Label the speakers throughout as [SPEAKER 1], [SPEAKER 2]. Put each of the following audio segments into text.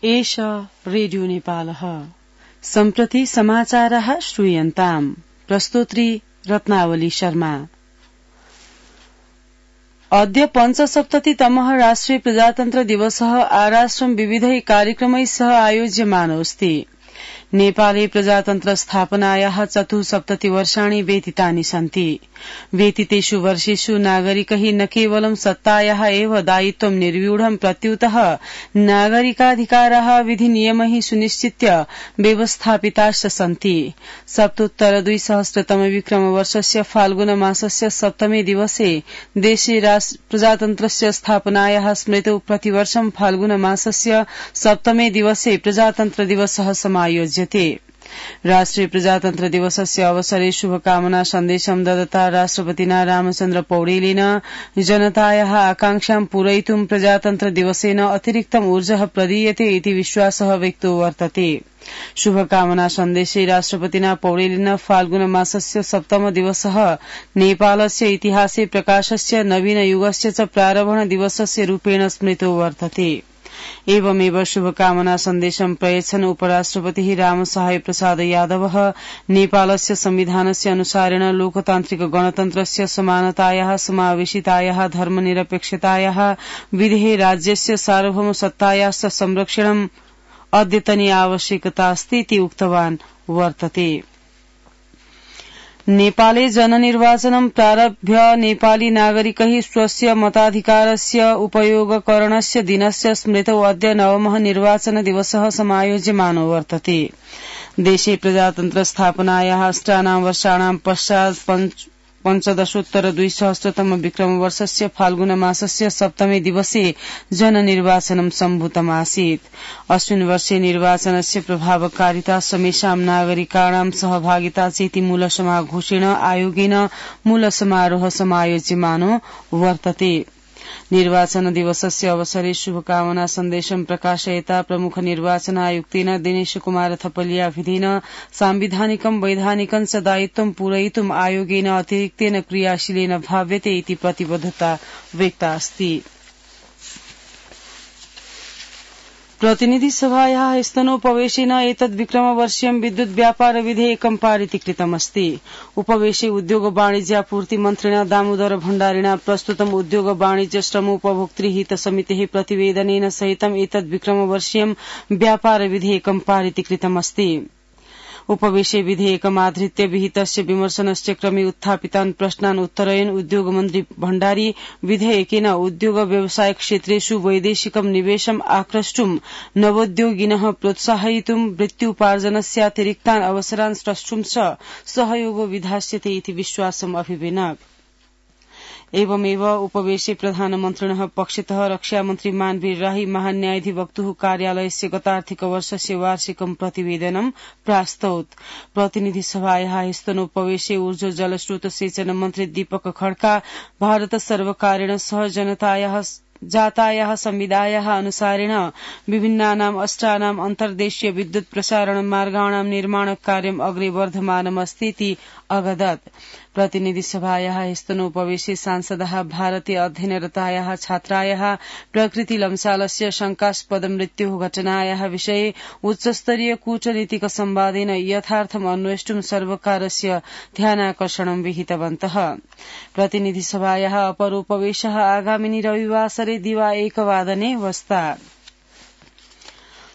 [SPEAKER 1] एष रेडियो नेपालः। सम्प्रति समाचारः श्रूयन्ताम्। प्रस्तोत्री रत्नावली शर्मा। अद्य पञ्चसप्ततितमः राष्ट्रिय प्रजातन्त्र दिवसः आराष्ट्रं विविधै कार्यक्रमैः सह आयोज्यमानोऽस्ति। नेपाले प्रजातन्त्र स्थापनायाः 74 वर्षाणि व्यतीतानि सन्ति। व्यतीतेषु वर्षेषु नागरिकैः न केवलं सत्तायाः एव दायित्वं निर्व्यूढं प्रत्युतः नागरिकाधिकाराः विधिनियमैः सुनिश्चित्य व्यवस्थापिताश्च सन्ति। सप्तोत्तर-2000 विक्रमवर्षस्य फाल्गुन मासस्य 7 दिवसे देशे प्रजातन्त्रस्य स्थापनायाः स्मृतौ प्रतिवर्षं फाल्गुन मासस्य 7 दिवसे प्रजातन्त्र दिवसः समायोज्यते। राष्ट्रिय प्रजातन्त्र दिवसस्य अवसरे शुभकामना सन्देशं ददता राष्ट्रपतिना रामचन्द्र पौडेलेन जनतायाः आकांक्षां पूरयितुं प्रजातन्त्र दिवसेन अतिरिक्तम् ऊर्जः प्रदीयते इति विश्वासः व्यक्तो वर्तते। शुभकामना सन्देशे राष्ट्रपतिना पौडेलेन फाल्गुन मासस्य 7 दिवसः नेपालस्य इतिहासे प्रकाशस्य नवीनयुगस्य च प्रारम्भ दिवसस्य रूपेण स्मृतो वर्तते। एवमेव शुभकामना सन्देशं प्रयच्छन् उपराष्ट्रपतिः रामसहाय प्रसाद यादवः नेपालस्य संविधानस्य अनुसारेण लोकतान्त्रिक गणतन्त्रस्य समानतायाः समावेशितायाः धर्मनिरपेक्षतायाः विधेः राज्यस्य सार्वभौमसत्तायाश्च संरक्षणम् अद्यतनी आवश्यकता अस्ति इति उक्तवान् वर्तते। नेपाले जननिर्वाचनं प्रारभ्य नेपाली नागरिकैः स्वस्य मताधिकारस्य उपयोगकरणस्य दिनस्य स्मृतौ अद्य 9मः निर्वाचन दिवसः समायोज्यमानो वर्तते। देशे प्रजातन्त्र स्थापनायाः अष्टानां वर्षाणां पश्चात् पञ्चदशोत्तर-2000 विक्रमवर्षस्य फाल्गुन मासस्य 7 दिवसे जननिर्वाचनं सम्भूतमासीत्। अस्मिन् वर्षे निर्वाचनस्य प्रभावकारिता समेषां नागरिकाणां सहभागिता चेति मूलसमाघोषेण आयोगेन मूलसमारोह समायोज्यमानो वर्तते। निर्वाचन दिवसस्य अवसरे शुभकामना सन्देशं प्रकाशयता प्रमुख निर्वाचन आयुक्तेन दिनेश कुमार थपलियाभिधेन सांविधानिकं वैधानिकं च दायित्वं पूरयितुम् आयोगेन अतिरिक्तेन क्रियाशीलेन भाव्यते इति प्रतिबद्धता व्यक्ता अस्ति। प्रतिनिधि सभायाः स्तनोपवेशेन एतद् विक्रमवर्षीयं विद्युत् व्यापार विधेयकं पारितीकृतमस्ति। उपवेशे उद्योग वाणिज्यापूर्ति मन्त्रिणा दामोदर भण्डारिणा प्रस्तुतम् उद्योग वाणिज्य श्रमोपभोक्तृ हित समितेः प्रतिवेदनेन सहितम् एतद् विक्रमवर्षीयं व्यापार विधेयकं पारितीकृतमस्ति। उपवेशे विधेयकमाधृत्य विहितस्य विमर्शनस्य क्रमे उत्थापितान् प्रश्नान् उत्तरयन् उद्योगमन्त्री भण्डारी विधेयकेन उद्योग व्यवसाय क्षेत्रेषु वैदेशिकं निवेशम् आक्रष्टुम् नवोद्योगिनः प्रोत्साहयितुम् वृत्त्युपार्जनस्यातिरिक्तान् अवसरान् स्रष्टुं च सहयोगो विधास्यते इति विश्वासम् अभिव्यनक्। एवमेव उपवेशे प्रधानमन्त्रिणः पक्षतः रक्षामन्त्री मानवीर राही महान्यायाधिवक्तुः कार्यालयस्य गतार्थिक वर्षस्य वार्षिकं प्रतिवेदनं प्रास्तौत्। प्रतिनिधि सभायाः स्तनोपवेशे ऊर्जा जलस्रोत सेचन मन्त्री दीपक खड्का भारत सर्वकारेण सह जातायाः संविदायाः अनुसारेण विभिन्नानाम् अष्टानाम् अन्तर्देशीय विद्युत् प्रसारण मार्गाणां निर्माण कार्यम् अग्रे वर्धमानमस्ति इति अगदत्। प्रतिनिधि सभायाः स्तनोपवेशे सांसदः भारतीय अध्ययनरतायाः छात्रायाः प्रकृति लम्सालस्य शंकास्पद मृत्युः घटनायाः विषये उच्चस्तरीय कूटनीतिक संवादेन यथार्थम् अन्वेष्टुं सर्वकारस्य ध्यानाकर्षणं विहितवन्तः। प्रतिनिधि सभायाः अपरोपवेशः आगामिनि रविवासरे दिवा 1 वादने वस्ता।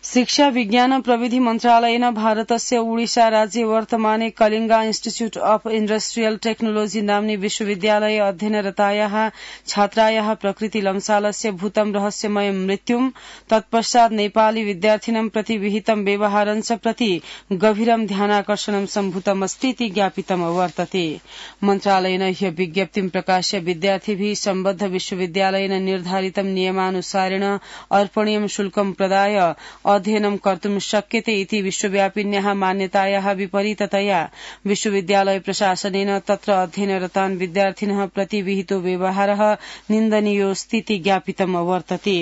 [SPEAKER 1] शिक्षा विज्ञान प्रविधि मन्त्रालयेन भारतस्य ओडिशा राज्ये वर्तमाने कलिंगा इन्स्टिट्यूट अफ इण्डस्ट्रियल टेक्नोलोजी नाम्नि विश्वविद्यालये अध्ययनरतायाः छात्रायाः प्रकृति लम्सालस्य भूतं रहस्यमयं मृत्युं तत्पश्चात् नेपाली विद्यार्थिनं प्रति विहितं व्यवहारं च प्रति गभीरं ध्यानाकर्षणं सम्भूतमस्ति इति ज्ञापितं वर्तते। मन्त्रालयेन ह्य विज्ञप्तिं प्रकाश्य विद्यार्थिभिः सम्बद्ध विश्वविद्यालयेन निर्धारितं नियमानुसारेण अर्पणीयं शुल्कं प्रदाय अध्ययनं कर्तुं शक्यते इति विश्वव्यापिन्याः मान्यतायाः विपरीततया विश्वविद्यालय प्रशासनेन तत्र अध्ययनरतान् विद्यार्थिनः प्रति विहितो व्यवहारः निन्दनीयोऽस्ति इति ज्ञापितं वर्तते।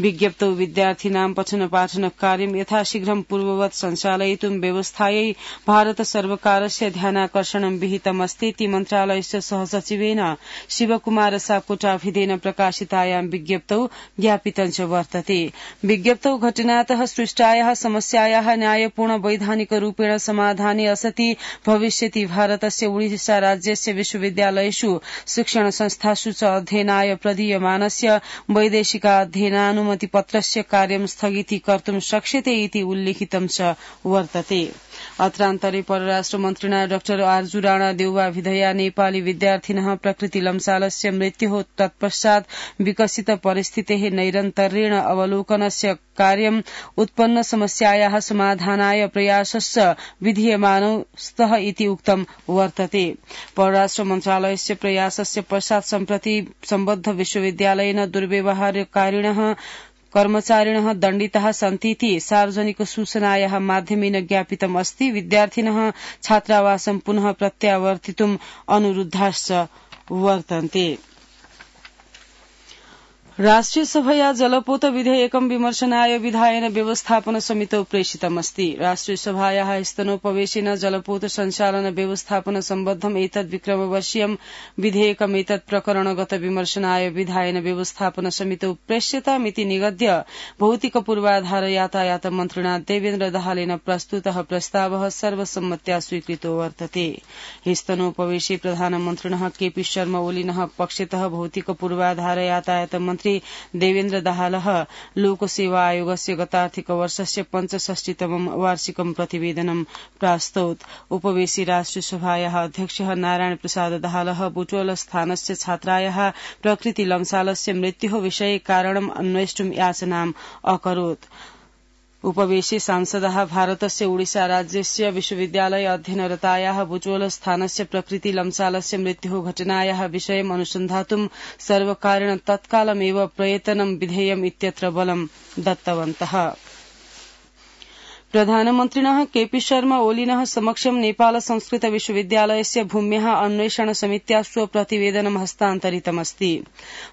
[SPEAKER 1] विज्ञप्तौ विद्यार्थिनां पठन पाठन कार्यं यथाशीघ्रं पूर्ववत् सञ्चालयितुं व्यवस्थायै भारत सर्वकारस्य ध्यानाकर्षणं विहितमस्ति इति मन्त्रालयस्य सहसचिवेन शिवकुमार सापकोटाभिधेन प्रकाशितायां विज्ञप्तौ ज्ञापितं च वर्तते। विज्ञप्तौ घटनातः सृष्टायाः समस्यायाः न्यायपूर्ण वैधानिक रूपेण समाधाने असति भविष्यति भारतस्य ओडिशा राज्यस्य विश्वविद्यालयेषु शिक्षण संस्थासु च अध्ययनाय प्रदीयमानस्य वैदेशिकाध्ययनानुमतिपत्रस्य कार्यं स्थगितीकर्तुं शक्यते इति उल्लिखितं च वर्तते। अत्रान्तरे परराष्ट्र मन्त्रिणा डाक्टर आर्जु राणा देउवाभिधया नेपाली विद्यार्थिनः प्रकृतिलम्सालस्य मृत्युः तत्पश्चात् विकसित परिस्थितेः नैरन्तर्येण अवलोकनस्य कार्यम् उत्पन्न समस्यायाः समाधानाय प्रयासश्च विधीयमानौ स्तः इति उक्तं वर्तते। परराष्ट्र मन्त्रालयस्य प्रयासस्य पश्चात् सम्प्रति सम्बद्ध विश्वविद्यालयेन दुर्व्यवहारकारिणः कर्मचारिणः दण्डिताः सन्तीति सार्वजनिक सूचनायाः माध्यमेन ज्ञापितम् अस्ति। विद्यार्थिनः छात्रावासं पुनः प्रत्यावर्तितुम् अनुरुद्धाश्च वर्तन्ते। राष्ट्रिय सभया जलपोत विधेयकं विमर्शनाय विधायन व्यवस्थापन समितौ प्रेषितमस्ति। राष्ट्रिय सभायाः स्तनोपवेशेन जलपोत संचालन व्यवस्थापन सम्बद्धम् एतद् विक्रमवर्षीयं विधेयकमेतत् प्रकरणगत विमर्शनाय विधायन व्यवस्थापन समितौ प्रेष्यतामिति निगद्य भौतिक पूर्वाधार यातायात मन्त्रिणा देवेन्द्र दाहालेन प्रस्तुतः प्रस्तावः सर्वसम्मत्या स्वीकृतो वर्तते। स्तनोपवेशे प्रधानमन्त्रिणः केपी शर्मा ओलीनः पक्षतः भौतिक पूर्वाधार यातायात मन्त्री देवेन्द्र दाहालः लोकसेवा आयोगस्य गतार्थिक वर्षस्य 65तमं वार्षिकं प्रतिवेदनं प्रास्तौत्। उपवेशि राष्ट्रिय सभायाः अध्यक्षः नारायण प्रसाद दाहालः बुटवल स्थानस्य छात्रायाः प्रकृति लम्सालस्य मृत्युः विषये कारणम् अन्वेष्टुं याचनाम् अकरोत्। उपवेशे सांसदाः भारतस्य ओडिशा राज्यस्य विश्वविद्यालय अध्ययनरतायाः बुटवल स्थानस्य प्रकृति लम्सालस्य मृत्युः घटनायाः विषयम् अनुसन्धातुं सर्वकारेण तत्कालमेव प्रयतनं विधेयम् इत्यत्र बलं दत्तवन्तः। प्रधानमन्त्रिणः केपी शर्मा ओलीनः समक्षं नेपाल संस्कृत विश्वविद्यालयस्य भूम्याः अन्वेषण समित्या स्वप्रतिवेदनं हस्तान्तरितमस्ति।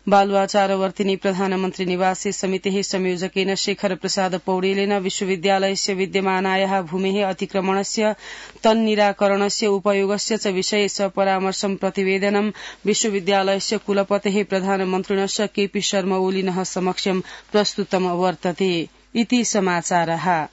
[SPEAKER 1] बालुवाचारवर्तिनी प्रधानमन्त्री निवासे समितेः संयोजकेन शेखर प्रसाद पौडेलेन विश्वविद्यालयस्य विद्यमानायाः भूमेः अतिक्रमणस्य तन्निराकरणस्य उपयोगस्य च विषये सपरामर्शं प्रतिवेदनं विश्वविद्यालयस्य कुलपतेः प्रधानमन्त्रिणश्च केपी शर्मा ओलीनः समक्षं प्रस्तुतं वर्तते इति समाचारः।